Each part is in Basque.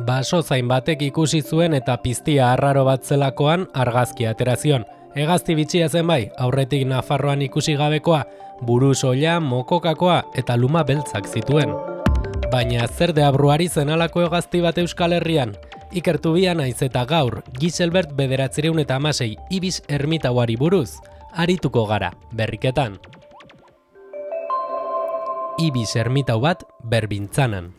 Basozain batek ikusi zuen eta piztia arraro bat zelakoan argazkia atera zion. Hegazti bitxia zen bai, aurretik Nafarroan ikusi gabekoa, buru soila, mokokakoa eta luma beltzak zituen. Baina zer deabruari zen alako hegazti bat Euskal Herrian? Ikertu bia naiz eta gaur, Giselbert 1916 Ibis ermitauari buruz, arituko gara, berriketan. Ibis ermitau bat Berbintzanan.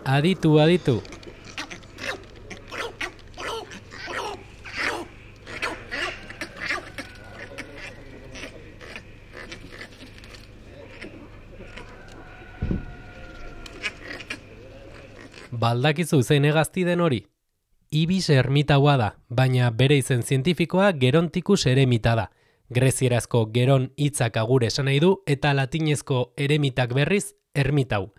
Aditu, aditu. Baldakizu zein hegazti den hori? Ibis ermitaua da, baina bere izen zientifikoa Geronticus eremita da. Grezierazko geron hitzak agure esan nahi du eta latinezko eremitak berriz ermitau.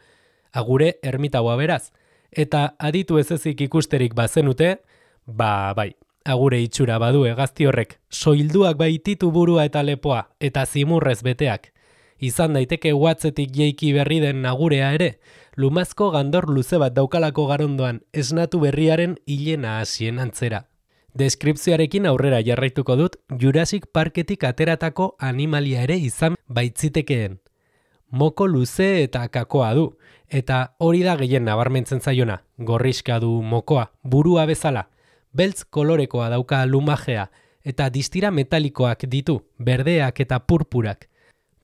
Agure ermitaua beraz. Eta aditu ez ezik ikusterik bazenute, bai, agure itxura badu hegazti horrek, soilduak baititu burua eta lepoa, eta zimurrez beteak. Izan daiteke uhatzetik jeiki berri den agurea ere, lumazko gandor luze bat daukalako garondoan esnatu berriaren hilena hasien antzera. Deskripzioarekin aurrera jarraituko dut, Jurassic Parketik ateratako animalia ere izan baitzitekeen. Moko luze eta kakoa du, eta hori da gehien nabarmentzen zaiona, gorriska du mokoa, burua bezala. Beltz kolorekoa dauka lumajea, eta distira metalikoak ditu, berdeak eta purpurak.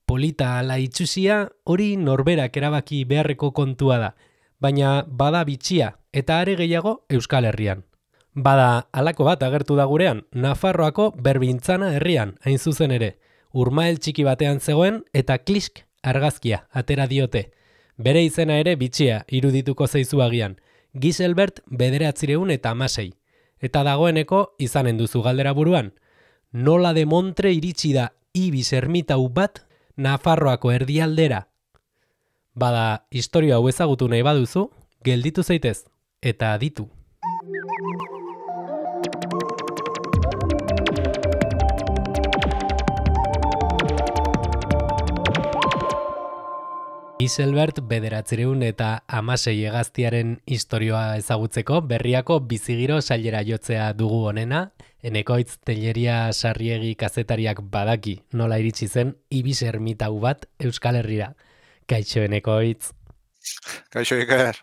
Polita ala itxusia hori norberak erabaki beharreko kontua da, baina bada bitxia eta are gehiago Euskal Herrian. Bada halako bat agertu da gurean, Nafarroako Berbintzana herrian, hain zuzen ere. Urmael txiki batean zegoen eta klisk argazkia atera diote. Bere izena ere bitxia irudituko zaizu agian. Giselbert 1916. Eta dagoeneko izanen duzu galdera buruan. Nola de Montre iritsi da Ibis ermitau bat Nafarroako erdialdera? Bada, historia hau ezagutu nahi baduzu, gelditu zaitez, eta aditu. Giselbert 1916 hegaztiaren istorioa ezagutzeko berriako bizigiro sailera jotzea dugu honena, Enekoitz Telleria Sarriegi kazetariak badaki nola iritsi zen Ibis ermitau bat Euskal Herrira. Kaixo Enekoitz. Kaixo Iker.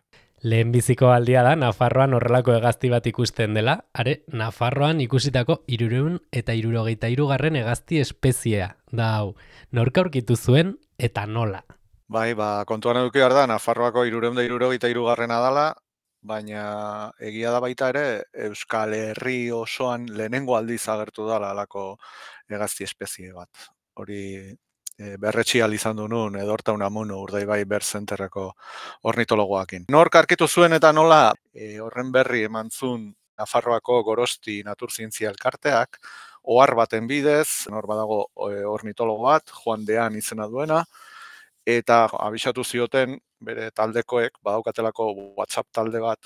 Lehenbiziko aldia da Nafarroan horrelako hegazti bat ikusten dela, Nafarroan ikusitako 373. hegazti espeziea da hau. Nork aurkitu zuen eta nola? Bai, kontuan eduki behar da, Nafarroako 373. dala, baina egia da baita ere Euskal Herri osoan lehenengo aldiz agertu dala halako hegazti espezie bat. Hori berretsi izan du nun, Edorta Unamuno Urdaibai Bird Centerreko ornitologoakin. Nork aurkitu zuen eta nola, horren berri eman zuen Nafarroako Gorosti Naturzientzia Elkarteak, ohar baten bidez, nor badago ornitologo bat, Juan Dean izena duena, eta abisatu zioten bere taldekoek badaukatelako WhatsApp talde bat,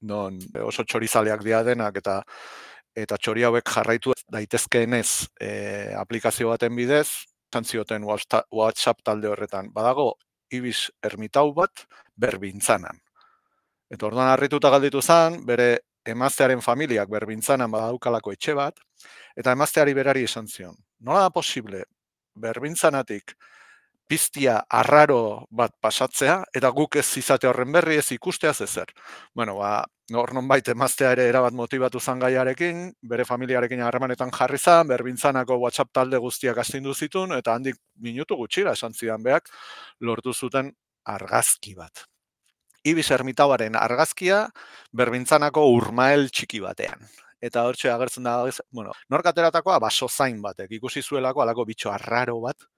non oso txorizaleak dira denak eta txori hauek jarraitu daitezkeenez aplikazio baten bidez, zioten WhatsApp talde horretan. Badago Ibis ermitau bat Berbintzanan. Eta orduan harrituta galditu zen, bere emaztearen familiak Berbintzanan badaukalako etxe bat, eta emazteari berari esan zion. Nola da posible Berbintzanatik piztia arraro bat pasatzea, eta guk ez izate horren berri ez ikusteaz ezer. Bueno, hor nonbait emaztea ere erabat motibatu zan gaiarekin, bere familiarekin harremanetan jarri zan, Berbintzanako WhatsApp talde guztiak astindu zitun, eta handik minutu gutxira esan zidan beak, lortu zuten argazki bat. Ibis ermitauaren argazkia Berbintzanako Urmael txiki batean. Eta hortxe agertzen da, nork ateratakoa basozain batek, ikusi zuelako halako bitxo arraro bat,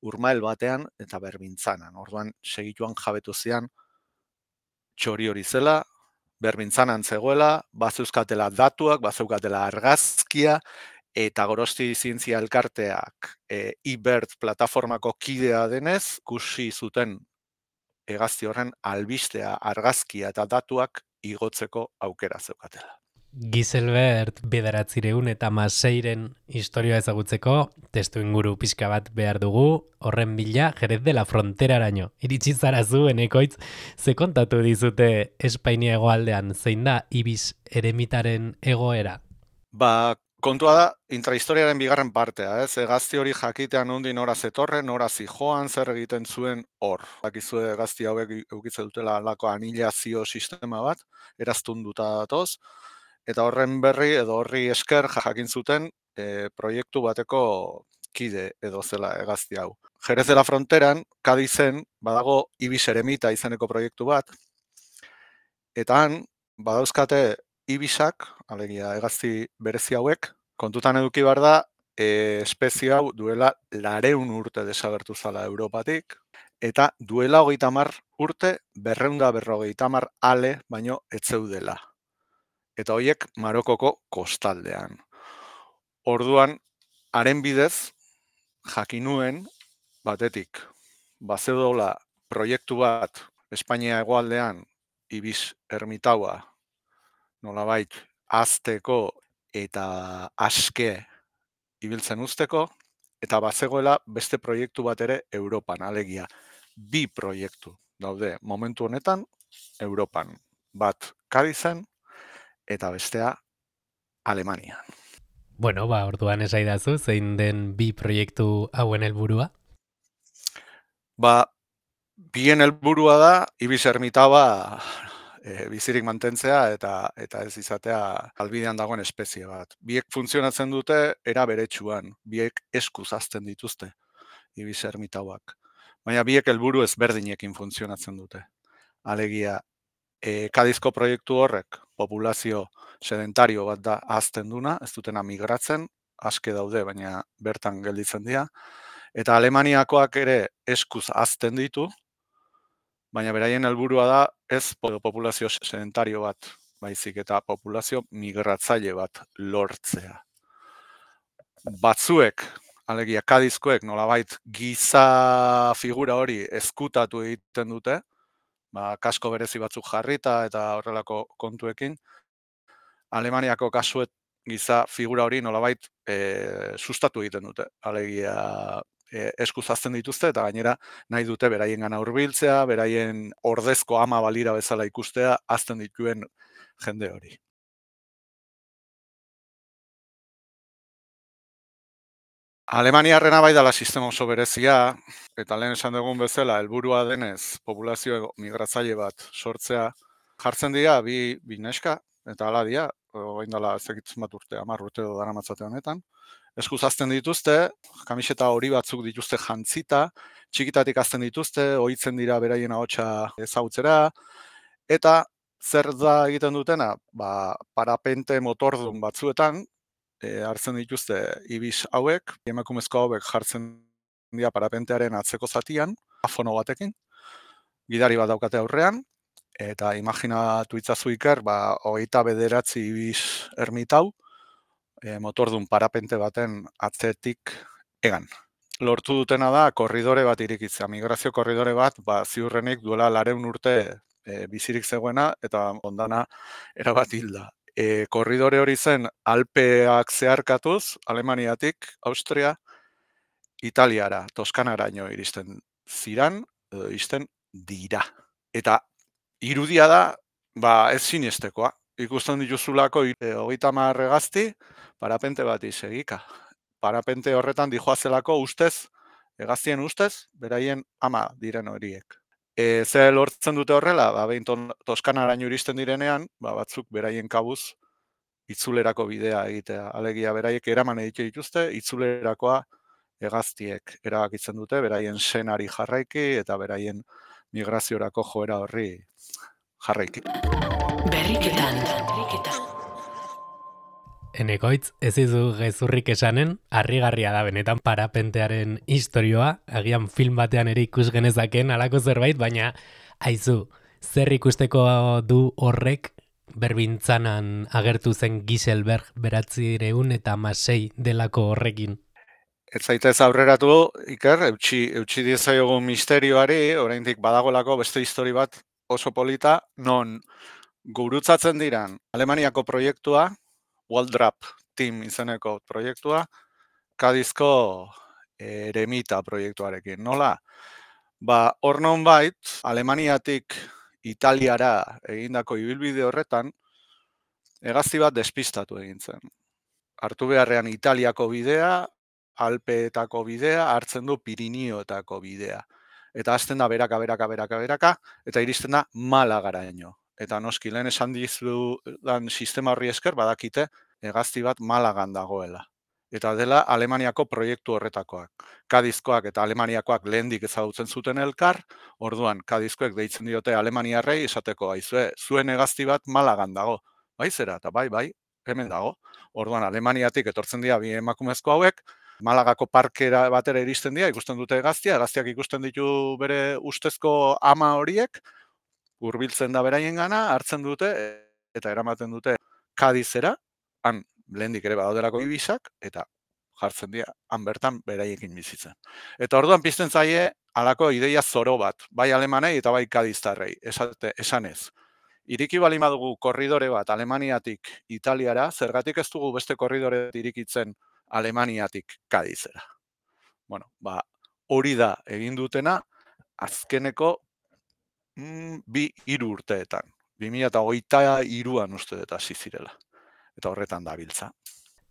Urmael batean eta Berbintzanan. Orduan segituan jabetu zian txori hori zela, Berbintzanan zegoela, bazeuzkatela datuak, bazeukatela argazkia, eta Gorosti Zientzia Elkarteak eBird plataformako kidea denez, ikusi zuten hegazti horren albistea, argazkia eta datuak igotzeko aukera zeukatela. Giselbert 1906 historia ezagutzeko testu inguru pixka bat behar dugu, horren bila Jerez de la Fronteraraino. Iritsi zara zu, Enekoitz, ze kontatu dizute Espainia hegoaldean, zein da Ibis eremitaren egoera? Kontua da, intrahistoriaren bigarren partea, ez? Gazti hori jakitean nondi nora zetorren, nora zijoan, zer egiten zuen hor. Dakizue gazti hauek eukitze dutela alako anilazio sistema bat, eraztunduta datoz, eta horren berri edo horri esker jakin zuten proiektu bateko kide edo zela gazti hau. Jerez de la Fronteran, Kadizen, badago Ibis Eremita izeneko proiektu bat, eta han, badauzkate Ibisak, alegia hegazti berezi hauek, kontutan eduki behar da, espezie hau duela 200 urte desagertu zala Europatik, eta duela 30 urte 250 ale baino etzeudela. Eta horiek Marokoko kostaldean. Orduan, haren bidez, jakinuen batetik, bazeudola proiektu bat Espainia hegoaldean Ibis ermitaua nolabait azteko eta aske ibiltzen usteko, eta bazegoela beste proiektu bat ere Europan, alegia. 2 proiektu daude momentu honetan Europan. Bat Kadizen eta bestea Alemanian. Bueno, orduan esaidazu, zein den 2 proiektu hauen helburua? Bien helburua da, Ibis ermitaua bizirik mantentzea eta ez izatea albidean dagoen espezie bat. Biek funtzionatzen dute era beretsuan, biek eskuz hazten dituzte Ibis ermitauak. Baina biek helburu ezberdinekin funtzionatzen dute. Alegia, Kadizko proiektu horrek populazio sedentario bat da hazten duna, ez dutena migratzen, aske daude, baina bertan gelditzen dira. Eta Alemaniakoak ere eskuz hazten ditu, baina beraien helburua da ez populazio sedentario bat, baizik eta populazio migratzaile bat lortzea. Batzuek, alegia Kadizkoek nolabait giza figura hori ezkutatu egiten dute, kasko berezi batzuk jarrita eta horrelako kontuekin. Alemaniako kasuet giza figura hori nolabait sustatu egiten dute, alegia eskuz hazten dituzte eta gainera nahi dute beraiengana hurbiltzea, beraien ordezko ama balira bezala ikustea hazten dituen jende hori. Alemaniarrena bai dela sistema oso berezia, eta lehen esan dugun bezala, helburua denez populazio migratzaile bat sortzea, jartzen dira bi neska, eta hala dira, orain dela ezekitzen bat urte, 10 urte edo daramatzate honetan. Eskuz hazten dituzte, kamiseta hori batzuk dituzte jantzita, txikitatik hazten dituzte, ohitzen dira beraien ahotsa ezagutzera, eta zer da egiten dutena? Parapente motordun batzuetan, hartzen dituzte Ibis hauek, emakumezko hauek jartzen dira parapentearen atzeko zatian, afono batekin, gidari bat daukate aurrean, eta imaginatu itzazu Iker, 29 Ibis ermitau, motordun parapente baten atzetik egan. Lortu dutena da korridore bat irikitzea, migrazio korridore bat, ziurrenik duela 200 urte bizirik zegoena, eta ondana erabat hilda. Korridore hori zen Alpeak zeharkatuz, Alemaniatik, Austria, Italiara, Toskanaraino iristen ziran, edo iristen dira. Eta irudia da, ez sinestekoa. Ikusten dituzulako 30 hegazti, parapente bat segika. Parapente horretan dijoazelako ustez, hegaztien ustez, beraien ama diren horiek. Ze lortzen dute horrela, behin Toskanaraino iristen direnean, batzuk beraien kabuz itzulerako bidea egitea. Alegia beraiek eraman egite dituzte, itzulerakoa hegaztiek erabakitzen dute, beraien senari jarraiki eta beraien migraziorako joera horri jarraiki. Berriketan. Enekoitz, ez izu gezurrik esanen, harrigarria da benetan parapentearen istorioa, agian film batean ere ikus genezaken alako zerbait, baina aizu, zer ikusteko du horrek berbintzanan agertu zen Giselbert 1906 delako horrekin? Ez zaitez aurreratu, Iker, eutxi diezaiogun misterioari, oraindik badagolako beste histori bat oso polita, non gurutzatzen diran Alemaniako proiektua, Waldrapp Team izeneko proiektua, Kadizko eremita proiektuarekin. Nola? Hor nonbait, Alemaniatik Italiara egindako ibilbide horretan, hegazti bat despistatu egin zen. Hartu beharrean Italiako bidea, Alpeetako bidea, hartzen du Pirinioetako bidea. Eta hasten da beraka, eta iristen da Malagaraino. Eta noski, lehen esan dizudan sistema horri esker, badakite, hegazti bat Malagan dagoela. Eta dela Alemaniako proiektu horretakoak. Kadizkoak eta Alemaniakoak lehendik ezagutzen zuten elkar, orduan Kadizkoek deitzen diote Alemaniarrei esateko, aizue, zuen hegazti bat Malagan dago. Bai zera, eta bai, hemen dago. Orduan Alemaniatik etortzen dira bi emakumezko hauek, Malagako parkera batera iristen dira, ikusten dute hegaztiak ikusten ditu bere ustezko ama horiek, hurbiltzen da beraiengana, hartzen dute eta eramaten dute Kadizera, han lehendik ere badaudelako ibisak, eta jartzen dira, han bertan beraiekin bizitzen. Eta orduan pizten zaie halako ideia zoro bat, bai alemanei eta bai kadiztarrei, esanez. Iriki bali badugu korridore bat Alemaniatik Italiara, zergatik ez dugu beste korridore irikitzen Alemaniatik Kadizera. Hori da egin dutena azkeneko 2-3 urteetan. 2023an uste dut hasi zirela. Eta horretan dabiltza.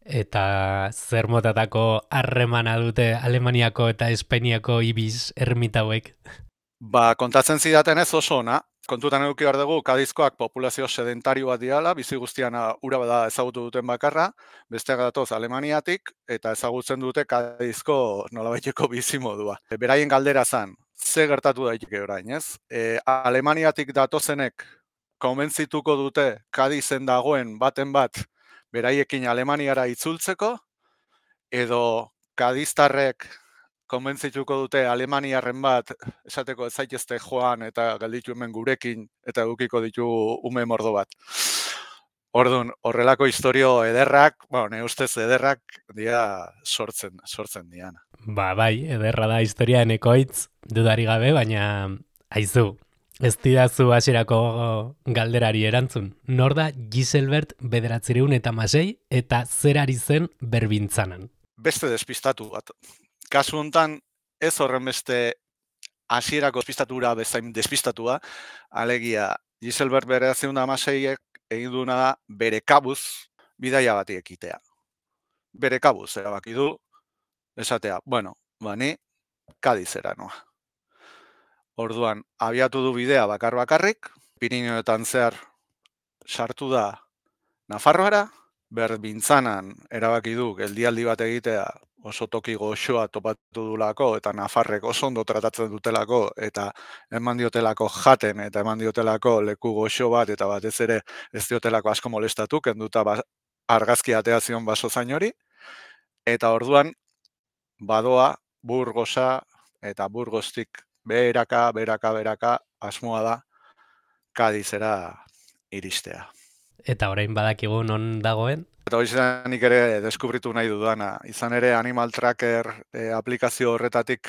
Eta zer motatako harremana dute Alemaniako eta Espainiako ibiz ermita hauek? Kontatzen zidaten ez oso ona. Kontutan eduki behar dugu, Kadizkoak populazio sedentario bat diala, bizi guztian ura bada ezagutu duten bakarra, besteak datoz Alemaniatik, eta ezagutzen dute Kadizko nolabaiteko bizimodua. Beraien galdera zan, ze gertatu daiteke orain, ez? Alemaniatik datozenek konbentzituko dute Kadizen dagoen baten bat beraiekin Alemaniara itzultzeko, edo Kadiztarrek konbentzituko dute Alemaniarren bat esateko ez zaitezte joan eta gelditu hemen gurekin eta edukiko ditu ume mordo bat. Orduan, horrelako historio ederrak, ne ustez ederrak dira sortzen diana. Bai, ederra da historia enekoitz, dudari gabe, baina aizu, ez didazu hasierako galderari erantzun. Nor da Giselbert 1906 eta zer ari zen berbintzanan? Beste despistatu bat. Kasu honetan, ez horren beste hasierako despistatura bezain despistatua, alegia Giselbert 1906ek egin duena da bere kabuz bidaia bati ekitea. Bere kabuz erabaki du, esatea, ni Kadizera noa. Orduan, abiatu du bidea bakarrik, Pirinioetan zehar sartu da Nafarroara, berbintzanan erabaki du geldialdi bat egitea oso toki goxoa topatu dulako eta Nafarrek oso ondo tratatzen dutelako eta eman diotelako jaten eta eman diotelako leku goxo bat eta batez ere ez diotelako asko molestatu, kenduta argazki atea zion basozain hori, eta orduan badoa Burgosa eta Burgostik beraka asmoa da Kadizera iristea. Eta orain badakigu non dagoen? Eta hori nik ere deskubritu nahi dudana. Izan ere Animal Tracker aplikazio horretatik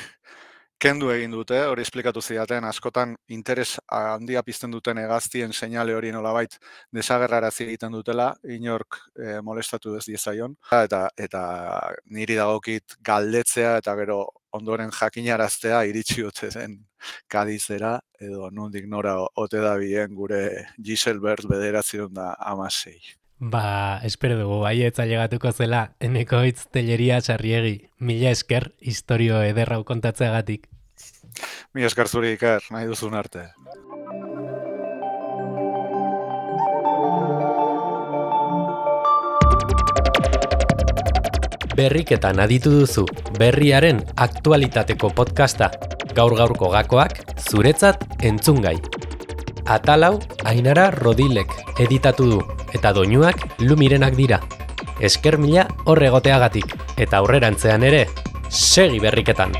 kendu egin dute, hori esplikatu zidaten, askotan interes handia pizten duten hegaztien seinale hori nolabait desagerrarazi egiten dutela, inork molestatu ez diezaion. Eta niri dagokit galdetzea eta gero ondoren jakinaraztea iritsi ote zen Kadizera, edo nondik nora ote da bien gure Giselbert 1906. Espero dugu baietza llegatuko zela Enekoitz Telleria Sarriegi. Mila esker historio ederrau kontatzeagatik. Mila esker zuri Iker, nahi duzun arte. Berriketan aditu duzu berriaren aktualitateko podcasta. Gaur-gaurko gakoak zuretzat entzungai. Atalau Ainara Rodilek editatu du eta doinuak Lumirenak dira. Esker mila hor egoteagatik eta aurrerantzean ere segi berriketan.